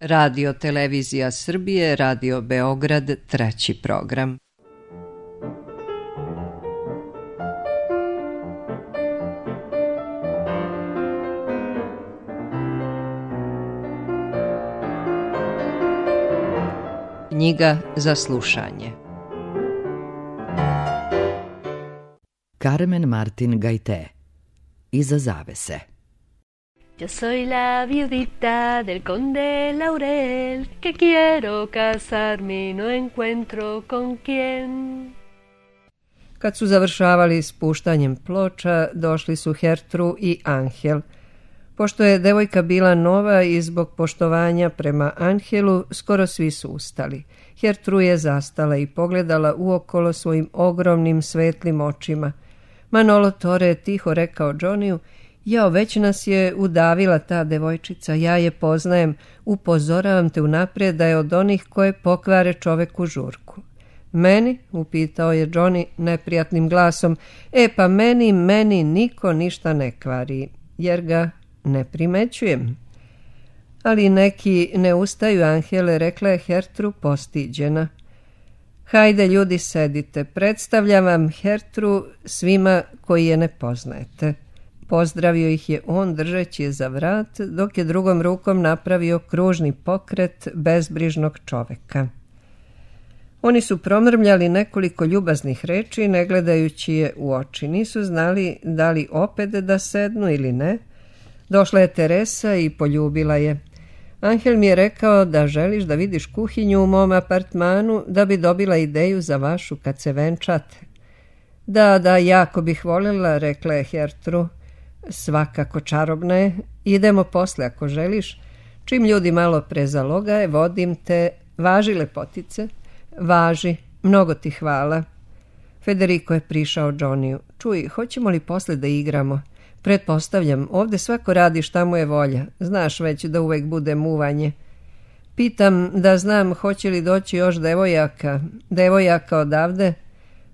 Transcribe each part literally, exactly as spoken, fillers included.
Radio Televizija Srbije, Radio Beograd, treći program. Knjiga za slušanje. Carmen Martin Gaité. Iza zavese. Yo soy la viudita del conde Laurel, que quiero casarme y no encuentro con quién. Kad su završavali s puštanjem ploča, došli su Hertru i Angel. Pošto je devojka bila nova i zbog poštovanja prema Angelu, skoro svi su ustali. Hertru je zastala i pogledala uokolo svojim ogromnim svetlim očima. Manolo Tore je tiho rekao Johnnyju: "Jao, već nas je udavila ta devojčica, ja je poznajem, upozoravam te unaprijed da je od onih koje pokvare čoveku žurku." "Meni?" upitao je Johnny neprijatnim glasom. "E pa meni, meni niko ništa ne kvari, jer ga ne primećujem." "Ali neki ne ustaju, Angele," rekla je Hertru postiđena. "Hajde ljudi, sedite, predstavljam vam Hertru svima koji je ne poznajete." Pozdravio ih je on držeći je za vrat, dok je drugom rukom napravio kružni pokret bezbrižnog čoveka. Oni su promrmljali nekoliko ljubaznih reči, ne gledajući je u oči. Nisu znali da li opet da sednu ili ne. Došla je Teresa i poljubila je. "Angel mi je rekao da želiš da vidiš kuhinju u mom apartmanu, da bi dobila ideju za vašu kad se venčate." "Da, da, jako bih voljela," rekla je Hertru. "Svakako čarobna je. Idemo posle ako želiš. Čim ljudi malo prezalogaje, vodim te. Važi, lepotice. Važi. Mnogo ti hvala." Federico je prišao Johnnyju. "Čuj, hoćemo li posle da igramo? Pretpostavljam, ovde svako radi šta mu je volja. Znaš već da uvek bude muvanje." "Pitam da znam hoće li doći još devojaka. Devojaka odavde?"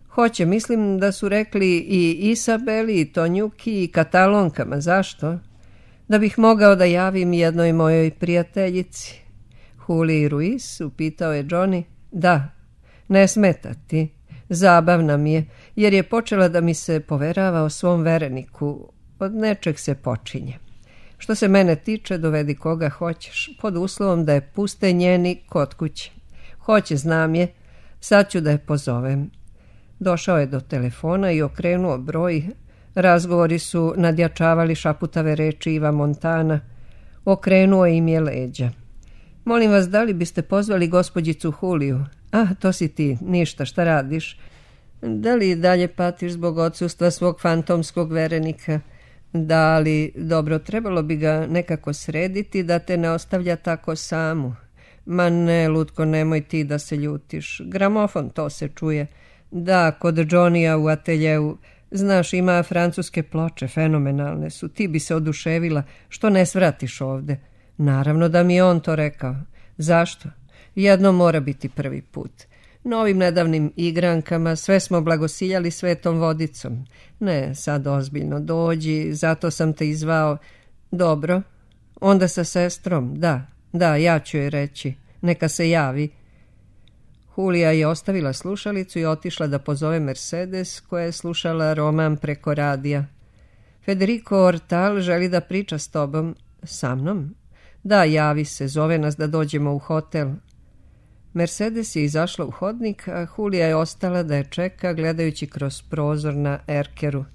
"Hoće, mislim da su rekli i Isabeli, i Tonjuki, i Katalonkama. Zašto?" "Da bih mogao da javim jednoj mojoj prijateljici." "Juliji Ruiz?" upitao je Johnny. "Da, ne smeta ti. Zabavna mi je, jer je počela da mi se poverava o svom vereniku. Od nečeg se počinje. Što se mene tiče, dovedi koga hoćeš, pod uslovom da je puste njeni kod kuće. Hoće, znam je. Sad ću da je pozovem." Došao je do telefona i okrenuo broj. Razgovori su nadjačavali šaputave reči Iva Montana. Okrenuo im je leđa. "Molim vas, da li biste pozvali gospođicu Juliju?" "Ah, to si ti. Ništa, šta radiš?" "Da li dalje patiš zbog odsustva svog fantomskog verenika?" "Da, ali dobro, trebalo bi ga nekako srediti da te ne ostavlja tako samu." "Ma ne, lutko, nemoj ti da se ljutiš. Gramofon, to se čuje." "Da, kod Johnnyja u ateljeu. Znaš, ima francuske ploče, fenomenalne su. Ti bi se oduševila. Što ne svratiš ovde?" "Naravno da mi je on to rekao." "Zašto?" "Jedno mora biti prvi put. Novim nedavnim igrankama sve smo blagosiljali svetom vodicom. Ne, sad ozbiljno, dođi, zato sam te izvao." "Dobro, onda sa sestrom, da, da, ja ću joj reći. Neka se javi." Julija je ostavila slušalicu i otišla da pozove Mercedes, koja je slušala roman preko radija. "Federico Ortal želi da priča s tobom." "Sa mnom?" "Da, javi se, zove nas da dođemo u hotel." Mercedes je izašla u hodnik, a Julija je ostala da je čeka, gledajući kroz prozor na erkeru.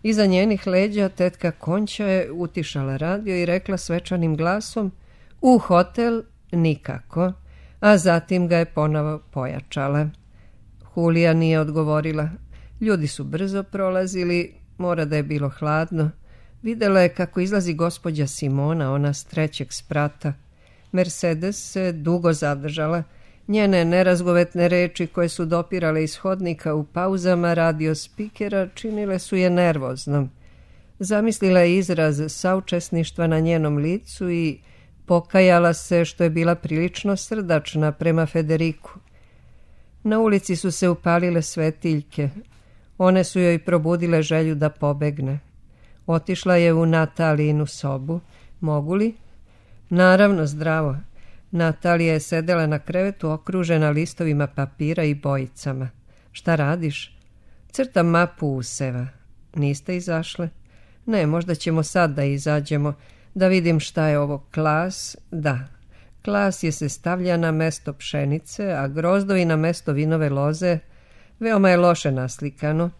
Iza njenih leđa tetka Konća je utišala radio i rekla svečanim glasom: "U hotel nikako," a zatim ga je ponovo pojačala. Julija nije odgovorila. Ljudi su brzo prolazili, mora da je bilo hladno. Videla je kako izlazi gospođa Simona, ona s trećeg sprata. Mercedes se dugo zadržala. Njene nerazgovetne reči koje su dopirale iz hodnika u pauzama radio spikera činile su je nervoznom. Zamislila je izraz saučesništva na njenom licu i pokajala se što je bila prilično srdačna prema Federiku. Na ulici su se upalile svetiljke. One su joj probudile želju da pobegne. Otišla je u Natalijinu sobu. "Mogu li?" "Naravno, zdravo." Natalija je sedela na krevetu okružena listovima papira i bojicama. Šta radiš? Crtam mapu useva. Niste izašle? Ne, možda ćemo sad da izađemo, da vidim šta je ovo klas. Da, klas je se stavlja na mesto pšenice, a grozdovi na mesto vinove loze. Veoma je loše naslikano.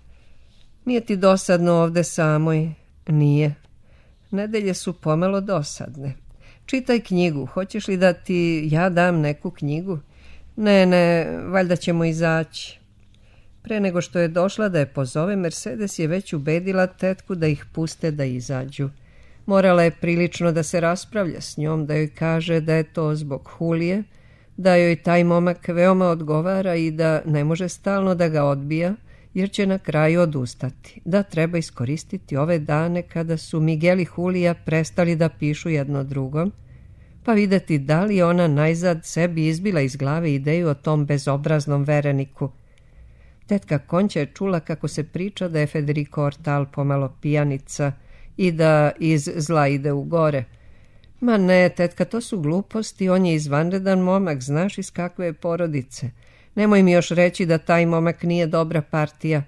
Nije ti dosadno ovde samoj? Nije. Nedelje su pomalo dosadne. Čitaj knjigu. Hoćeš li da ti ja dam neku knjigu? Ne, ne, valjda ćemo izaći. Pre nego što je došla da je pozove, Mercedes je već ubedila tetku da ih puste da izađu. Morala je prilično da se raspravlja s njom, da joj kaže da je to zbog Hulije, da joj taj momak veoma odgovara i da ne može stalno da ga odbija, jer će na kraju odustati, da treba iskoristiti ove dane kada su Miguel i Julija prestali da pišu jedno drugom, pa videti da li ona najzad sebi izbila iz glave ideju o tom bezobraznom vereniku. Tetka Konća je čula kako se priča da je Federico Ortal pomalo pijanica i da iz zla ide u gore. Ma ne, tetka, to su gluposti, on je izvanredan momak, znaš iz kakve je porodice. Nemoj mi još reći da taj momak nije dobra partija.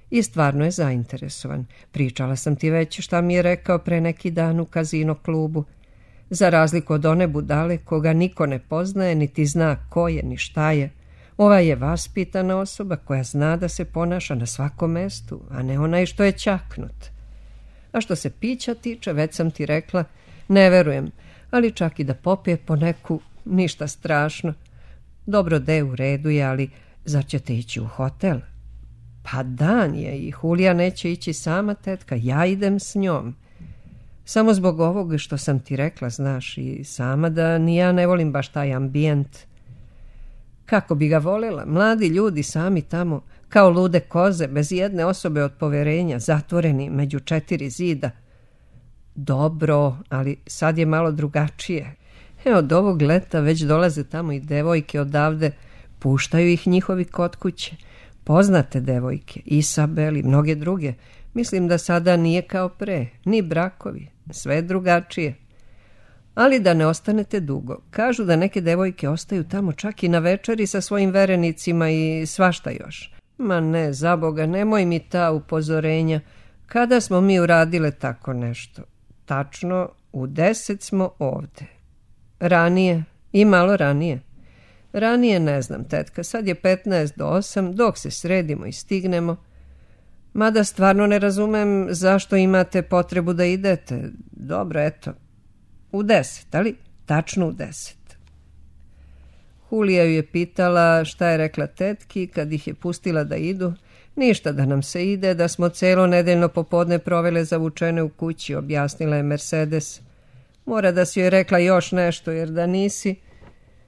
I stvarno je zainteresovan. Pričala sam ti već šta mi je rekao pre neki dan u kazino klubu. Za razliku od one budale koga niko ne poznaje, niti zna ko je, ni šta je. Ova je vaspitana osoba koja zna da se ponaša na svakom mestu, a ne onaj što je ćaknut. A što se pića tiče, već sam ti rekla, ne verujem, ali čak i da popije po neku, ništa strašno. Dobro, de, u redu je, ali zar ćete ići u hotel? Pa dan je i Julija neće ići sama, tetka, ja idem s njom. Samo zbog ovoga što sam ti rekla, znaš, i sama da ni ja ne volim baš taj ambijent. Kako bi ga volela, mladi ljudi sami tamo, kao lude koze, bez jedne osobe od poverenja, zatvoreni među četiri zida. Dobro, ali sad je malo drugačije. E, od ovog leta već dolaze tamo i devojke odavde, puštaju ih njihovi kod kuće. Poznate devojke, Isabel i mnoge druge. Mislim da sada nije kao pre, ni brakovi, sve drugačije. Ali da ne ostanete dugo. Kažu da neke devojke ostaju tamo čak i na večeri sa svojim verenicima i svašta još. Ma ne, za Boga, nemoj mi ta upozorenja. Kada smo mi uradile tako nešto? Tačno, u deset smo ovde. Ranije i malo ranije. Ranije ne znam, tetka, sad je petnaest do osam, dok se sredimo i stignemo. Mada stvarno ne razumem zašto imate potrebu da idete. Dobro, eto, u deset, ali tačno u deset. Julija ju je pitala šta je rekla tetki kad ih je pustila da idu. Ništa, da nam se ide, da smo celo nedeljno popodne provele zavučene u kući, objasnila je Mercedes. Mora da si joj rekla još nešto, jer da nisi...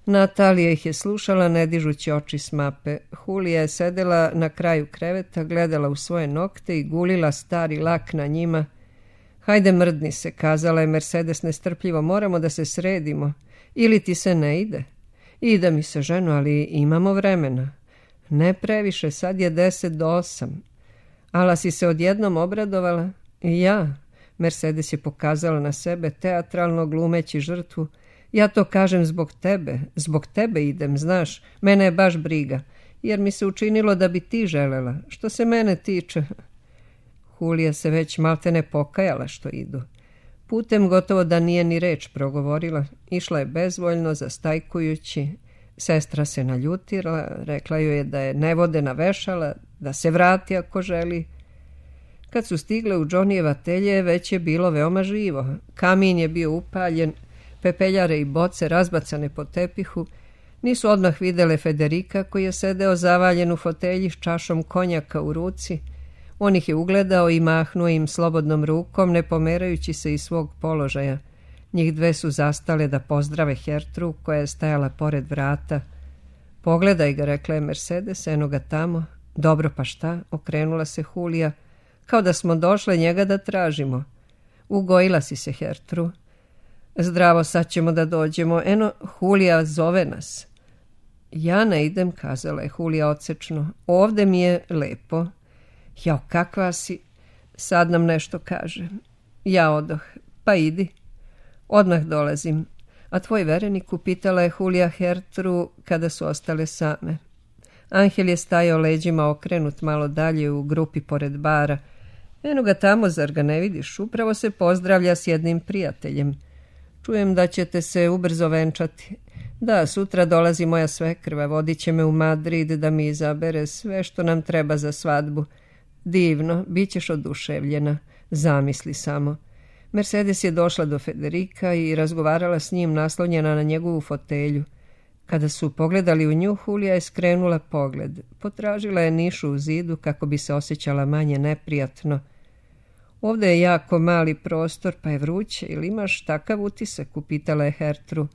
Natalija ih je slušala, ne dižući oči s mape. Julija je sedela na kraju kreveta, gledala u svoje nokte i gulila stari lak na njima. Hajde, mrdni se, kazala je Mercedes nestrpljivo, moramo da se sredimo. Ili ti se ne ide? Ide mi se, ženo, ali imamo vremena. Ne previše, sad je deset do osam. Ala si se odjednom obradovala? I ja. Mercedes je pokazala na sebe, teatralno glumeći žrtvu. Ja to kažem zbog tebe, zbog tebe idem, znaš, mene je baš briga, jer mi se učinilo da bi ti želela, što se mene tiče. Julija se već maltene pokajala što idu. Putem gotovo da nije ni reč progovorila, išla je bezvoljno, zastajkujući. Sestra se naljutila, rekla joj je da je ne vode navešala, da se vrati ako želi. Kad su stigle u Johnnyjeva atelje, već je bilo veoma živo. Kamin je bio upaljen, pepeljare i boce razbacane po tepihu. Nisu odmah videle Federika koji je sedeo zavaljen u fotelji s čašom konjaka u ruci. On ih je ugledao i mahnuo im slobodnom rukom, ne pomerajući se iz svog položaja. Njih dve su zastale da pozdrave Hertru koja je stajala pored vrata. Pogledaj ga, rekla je Mercedes, eno ga tamo. Dobro, pa šta? Okrenula se Julija. Kao da smo došle njega da tražimo. Ugojila si se, Hertru. Zdravo, sad ćemo da dođemo. Eno, Julija zove nas. Ja ne idem, kazala je Julija odsečno. Ovde mi je lepo. Jao, kakva si? Sad nam nešto kaže. Ja odoh. Pa idi. Odmah dolazim. A tvoj verenik, upitala je Julija Hertru kada su ostale same. Angel je stajao leđima okrenut malo dalje u grupi pored bara. Eno ga tamo, zar ga ne vidiš? Upravo se pozdravlja s jednim prijateljem. Čujem da ćete se ubrzo venčati. Da, sutra dolazi moja svekrva, vodit će me u Madrid da mi izabere sve što nam treba za svadbu. Divno, bit ćeš oduševljena. Zamisli samo. Mercedes je došla do Federika i razgovarala s njim naslonjena na njegovu fotelju. Kada su pogledali u nju, Julija je skrenula pogled. Potražila je nišu u zidu kako bi se osjećala manje neprijatno. Ovdje je jako mali prostor, pa je vruće. Ili imaš takav utisak? Upitala je Hertru.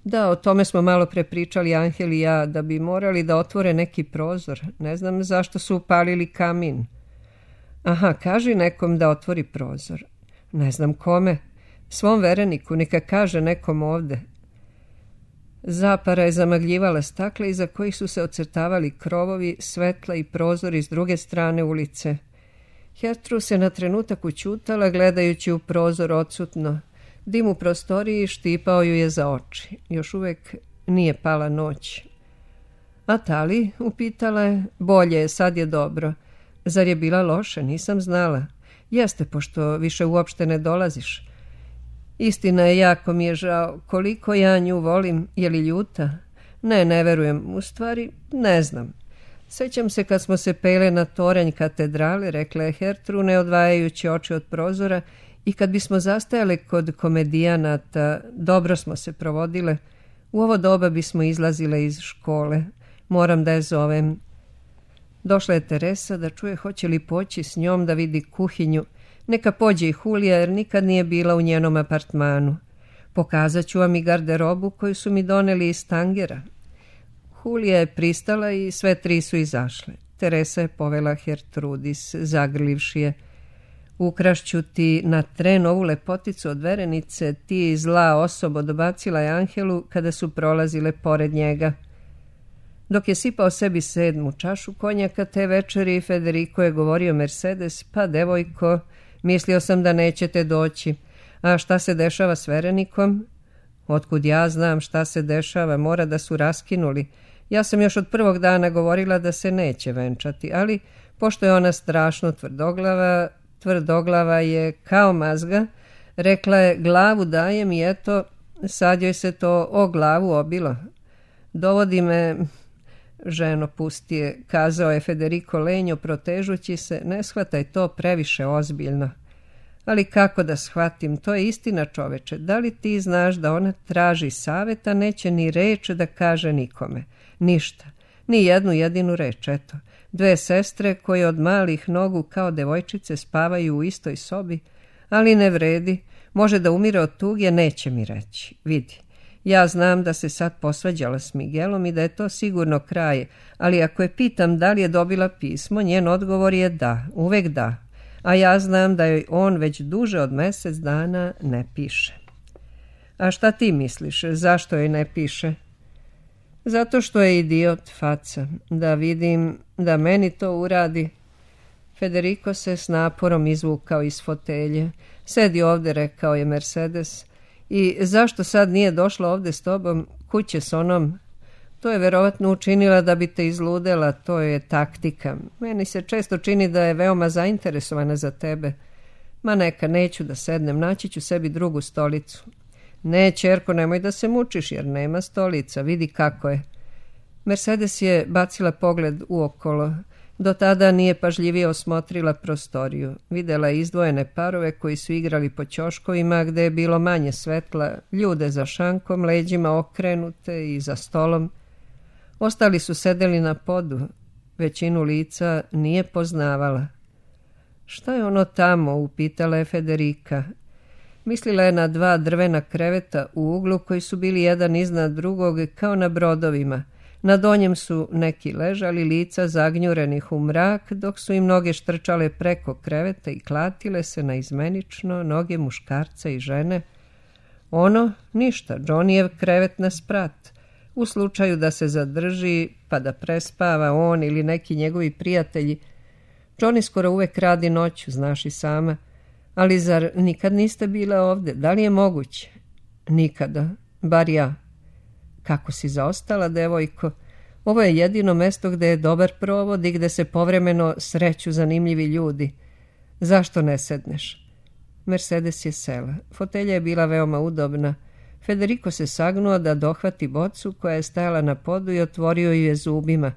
Da, o tome smo malo prepričali Angel i ja, da bi morali da otvore neki prozor. Ne znam zašto su upalili kamin. Aha, kaži nekom da otvori prozor. Ne znam kome. Svom vereniku, neka kaže nekom ovde. Zapara je zamagljivala stakla iza kojih su se ocrtavali krovovi, svetla i prozori s druge strane ulice. Hertru se na trenutak ućutala gledajući u prozor odsutno. Dim u prostoriji štipao ju je za oči. Još uvek nije pala noć. A Tali, upitala je, bolje je, sad je dobro. Zar je bila loše? Nisam znala. Jeste, pošto više uopšte ne dolaziš. Istina je, jako mi je žao. Koliko ja nju volim, je li ljuta? Ne, ne verujem. U stvari, ne znam. Sećam se kad smo se pele na toranj katedrale, rekla je Hertru, ne odvajajući oči od prozora, i kad bismo zastajale kod komedijanata, dobro smo se provodile. U ovo doba bismo izlazile iz škole. Moram da je zovem. Došla je Teresa da čuje hoće li poći s njom da vidi kuhinju. Neka pođe i Julija, jer nikad nije bila u njenom apartmanu. Pokazat ću vam i garderobu koju su mi doneli iz Tangera. Julija je pristala i sve tri su izašle. Teresa je povela Hertrudis, zagrlivši je. Ukrašću ti na tren ovu lepoticu od verenice, ti zla osobo, dobacila je Angelu kada su prolazile pored njega. Dok je sipao sebi sedmu čašu konjaka te večeri, Federico je govorio Mercedes, pa devojko, mislio sam da nećete doći. A šta se dešava s verenikom? Otkud ja znam šta se dešava, mora da su raskinuli. Ja sam još od prvog dana govorila da se neće venčati, ali pošto je ona strašno tvrdoglava, tvrdoglava je kao mazga, rekla je glavu dajem i eto, sad joj se to o glavu obilo. Dovodi me... Ženo, pusti je, kazao je Federico lenjo protežući se, ne shvataj to previše ozbiljno. Ali kako da shvatim, to je istina, čoveče. Da li ti znaš da ona traži saveta, neće ni reč da kaže nikome? Ništa, ni jednu jedinu reč, eto. Dve sestre koje od malih nogu kao devojčice spavaju u istoj sobi, ali ne vredi, može da umire od tuge, neće mi reći. Vidi. Ja znam da se sad posvađala s Miguelom i da je to sigurno kraj, ali ako je pitam da li je dobila pismo, njen odgovor je da, uvek da. A ja znam da joj on već duže od mjesec dana ne piše. A šta ti misliš, zašto joj ne piše? Zato što je idiot, faca. Da vidim, da meni to uradi. Federico se s naporom izvukao iz fotelje. Sedi ovde, rekao je Mercedes. I zašto sad nije došla ovde s tobom, kuće s onom? To je verovatno učinila da bi te izludela, to je taktika. Meni se često čini da je veoma zainteresovana za tebe. Ma neka, neću da sednem, naći ću sebi drugu stolicu. Ne, ćerko, nemoj da se mučiš, jer nema stolica, vidi kako je. Mercedes je bacila pogled uokolo. Do tada nije pažljivije osmotrila prostoriju. Videla je izdvojene parove koji su igrali po ćoškovima gde je bilo manje svetla, ljude za šankom, leđima okrenute i za stolom. Ostali su sedeli na podu. Većinu lica nije poznavala. Šta je ono tamo, upitala je Federica. Mislila je na dva drvena kreveta u uglu koji su bili jedan iznad drugog kao na brodovima. Na donjem su neki ležali, lica zagnjurenih u mrak, dok su im noge štrčale preko kreveta i klatile se naizmenično noge muškarca i žene. Ono, ništa, Johnnyjev krevet na sprat. U slučaju da se zadrži, pa da prespava on ili neki njegovi prijatelji. Johnny skoro uvek radi noću, znaš i sama. Ali zar nikad niste bile ovde? Da li je moguće? Nikada. bar ja. Kako si zaostala, devojko? Ovo je jedino mesto gde je dobar provod i gde se povremeno sreću zanimljivi ljudi. Zašto ne sedneš? Mercedes je sela. Fotelja je bila veoma udobna. Federico se sagnuo da dohvati bocu koja je stajala na podu i otvorio ju je zubima.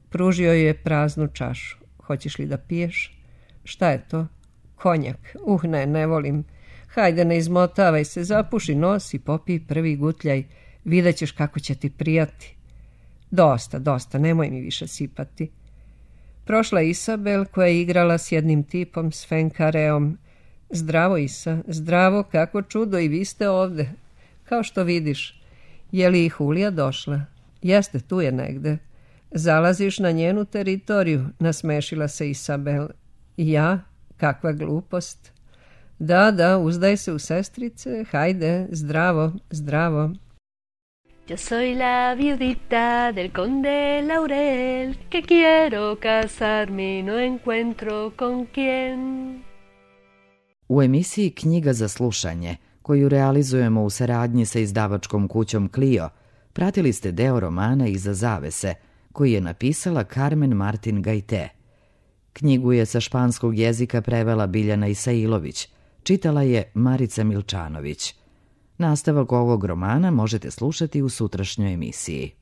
Pružio ju je praznu čašu. Hoćeš li da piješ? Šta je to? Konjak. Uh, ne, ne volim. Hajde, ne izmotavaj se, zapuši nos i popij prvi gutljaj. Vidjet ćeš kako će ti prijati. Dosta, dosta, nemoj mi više sipati. Prošla Isabel koja je igrala s jednim tipom, s Fenkareom. Zdravo, Isa, zdravo, kako čudo, i vi ste ovde. Kao što vidiš. Je li i Hulija došla? Jeste, tu je negde. Zalaziš na njenu teritoriju, nasmešila se Isabel. Ja? Kakva glupost. Da, da, uzdaj se u sestrice, hajde, zdravo, zdravo. Yo soy la viudita del conde Laurel, que quiero casarme y no encuentro con quién. U emisiji Knjiga za slušanje, koju realizujemo u saradnji sa izdavačkom kućom Clio, pratili ste deo romana Iza zavese, koji je napisala Carmen Martin Gajte. Knjigu je sa španskog jezika prevela Biljana Isailović, čitala je Marica Milčanović. Nastavak ovog romana možete slušati u sutrašnjoj emisiji.